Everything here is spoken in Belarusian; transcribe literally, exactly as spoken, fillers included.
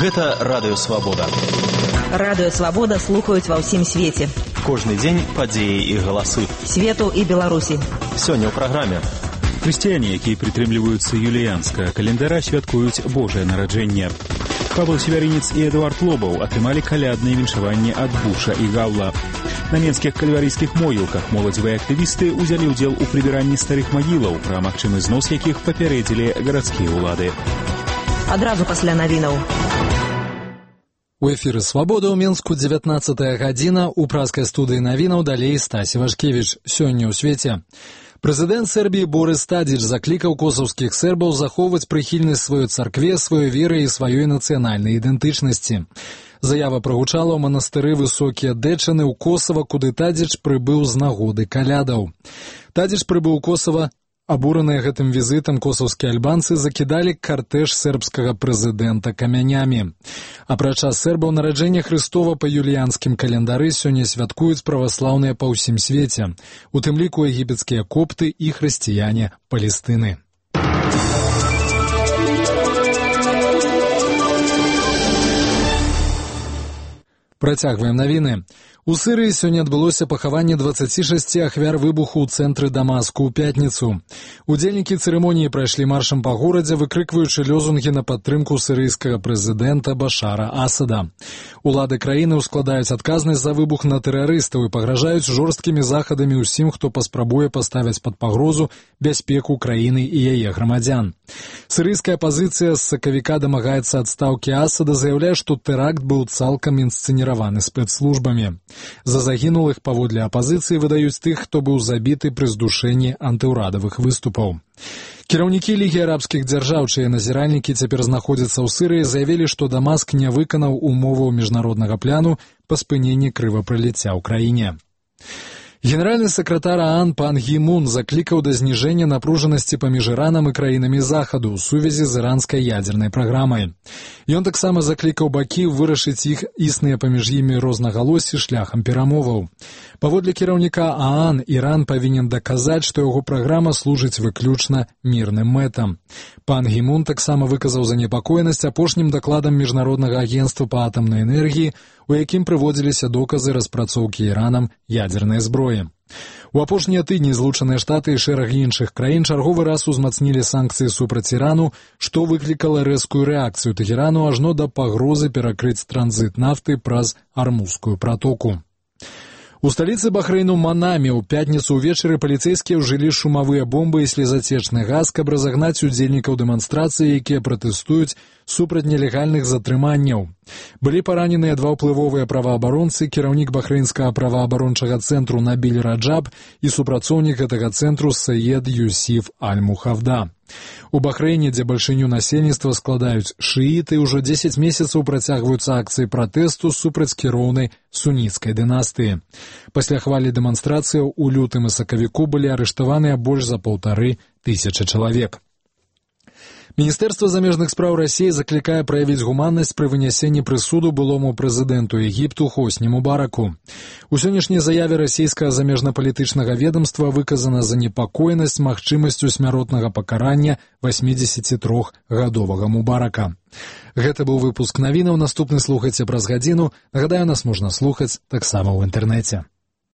Гэта Радыё Свабода. Радыё Свабода слухаюць ва ўсім свеце. Кожны дзень падзеі і галасы. Свету і Беларусі. Сёння ў праграме. Хрысціяне, якія прытрымліваюцца юліянскага календара, святкуюць Божае нараджэнне. Павел Севяринец і Эдуард Лобаў атрымалі калядныя віншаванні ад Буша і Гаўла. На менскіх кальварійскіх могілках моладзевыя актывісты ўзялі ўдзел у прыбіранні старых магілаў, пра магчымы знос якіх папярэдзілі гарадскія ўлады. Адразу пасля навінаў. У эфіры «Свабода» ў Менску дзевятнаццатая гадзіна. У праскай студыі навінаў далей Стасі Вашкевіч. Сёння ў свеце. Прэзідэнт Сербіі Борис Тадзіч заклікаў косаўскіх сербаў захоўваць прыхільнасць сваёй царкве, сваёй веры і сваёй нацыянальнай ідэнтычнасці. Заява прагучала ў манастыры Высокія Дэчаны ў Косава, куды Тадзіч прыбыў з нагоды калядаў. Тадзіч прыбыў у Косава. Абураныя гэтым візітам косаўскія альбанцы закідалі картэж сербскага прэзідэнта камянямі. Апрача сербаў нараджэння Хрыстова па юліянскім календары сёння святкуюць праваслаўныя па ўсім свеце, у тым ліку егіпецкія копты і хрысціяне Палестыны. Працягваем навіны. У Сырыі сёння адбылося пахаванне дваццаці шасці ахвяр выбуху ў цэнтры Дамаску ў пятніцу. Удзельнікі цырымоніі прайшлі маршам па горадзе, выкрыкваючы лёзунгі на падтрымку сырыйскага прэзідэнта Башара Асада. Улады краіны ўскладаюць адказнасць за выбух на тэрарыстаў і пагражаюць жорсткімі захадамі ўсім, хто паспрабуе паставіць пад пагрозу бяспеку краіны і яе грамадзян. Сырыйская апазіцыя з сакавіка дамагаецца адстаўкі Асада, заяўляе, што тэракт быў цалкам інсцэніраваны спецслужбамі. За загінулых паводле апазіцыі выдаюць тых, хто быў забіты пры здушэнні антыўрадавых выступаў. Кіраўнікі Лігі арабскіх дзяржаў, чые назіральнікі цяпер знаходзяцца ў Сырыі, заявілі, што Дамаск не выканаў умоваў міжнароднага пляну па спыненні крывапраліцця ў краіне. Генеральны сакратар ААН пан Гі Мун заклікаў да зніжэння напружанасці паміж Іранам і краінамі Захаду ў сувязі з іранскай ядзернай праграмай. Ён таксама заклікаў бакі вырашыць іх існыя паміж імі рознагалоссі шляхам перамоваў. Паводле кіраўніка ААН, Іран павінен даказаць, што яго праграма служыць выключна мірным мэтам. Пан Гі Мун таксама выказаў занепакоенасць апошнім дакладам Міжнароднага агенцтва па атамнай энергіі, у якім прыводзіліся доказы распрацоўкі Іранам ядзернай зброі. У апошнія тыдні Злучаныя Штаты і шэраг іншых краін чарговы раз узмацнілі санкцыі супраць Ірану, што выклікала рэзкую рэакцыю Тэхерану ажно да пагрозы перакрыць транзіт нафты праз Армузскую пратоку. У сталіцы Бахрэйну Манаме ў пятніцу ўвечары паліцэйскія ўжылі шумавыя бомбы і слезацечны газ, каб разагнаць удзельнікаў дэманстрацыі, якія пратэстуюць супраць нелегальных затрыманняў. Былі параненыя два ўплывовыя праваабаронцы, кіраўнік бахрэйнскага праваабарончага цэнтру Набіль Раджаб і супрацоўнік гэтага цэнтру Саед Юсіф Аль-Мухавда. У Бахрэйне, дзе бальшыню насельніцтва складаюць шыіты, ўжо дзесяць месяцаў працягваюцца акцыі пратэсту супраць кіроўнай суніцкай дынастыі. Пасля хвалі дэманстрацыяў у лютым і сакавіку былі арыштаваныя больш за паўтары тысячы чалавек. Міністэрства замежных спраў Расіі заклікае праявіць гуманнасць пры вынясенні прысуду былому прэзідэнту Егіпту Хосні Мубараку. У сённяшняй заяве расійскага замежнапалітычнага ведамства выказана занепакоенасць магчымасцю смяротнага пакарання васьмідзесятітрохгадовага Мубарака. Гэта быў выпуск навінаў, наступны слухайце праз гадзіну. Нагадаю, нас можна слухаць таксама ў інтэрнэце.